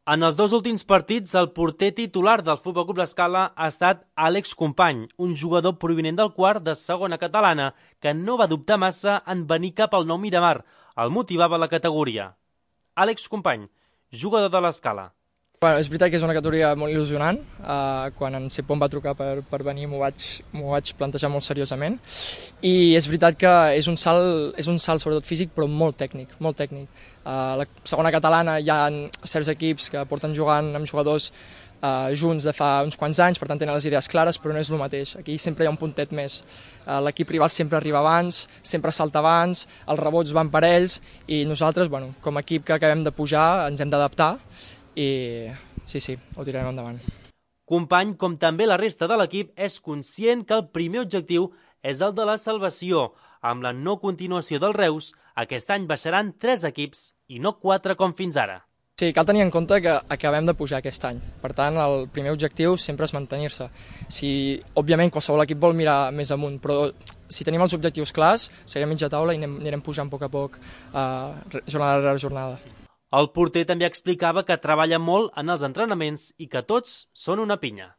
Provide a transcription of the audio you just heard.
En els dos últims partits, el porter titular del Futbol Club L'Escala ha estat Àlex Company, un jugador provinent del quart de segona catalana que no va dubtar massa en venir cap al Nou Miramar. El motivava la categoria. Àlex Company, jugador de l'Escala. Bueno, és veritat que és una categoria molt il·lusionant. Quan en Sepó em va trucar per venir m'ho vaig plantejar molt seriosament. I és veritat que és un salt sobretot físic, però molt tècnic, molt tècnic. A la segona catalana hi ha certs equips que porten jugant amb jugadors junts de fa uns quants anys, per tant tenen les idees clares, però no és el mateix. Aquí sempre hi ha un puntet més. L'equip rival sempre arriba abans, sempre salta abans, els rebots van per ells i nosaltres, bueno, com a equip que acabem de pujar, ens hem d'adaptar i sí, ho tirarem endavant. Company, com també la resta de l'equip, és conscient que el primer objectiu és el de la salvació. Amb la no continuació del Reus, aquest any baixaran 3 equips i no 4 com fins ara. Sí, cal tenir en compte que acabem de pujar aquest any. Per tant, el primer objectiu sempre és mantenir-se. Òbviament, qualsevol equip vol mirar més amunt, però si tenim els objectius clars, seguirem mitja taula i anirem pujant a poc, jornada rere jornada. El porter també explicava que treballa molt en els entrenaments i que tots són una pinya.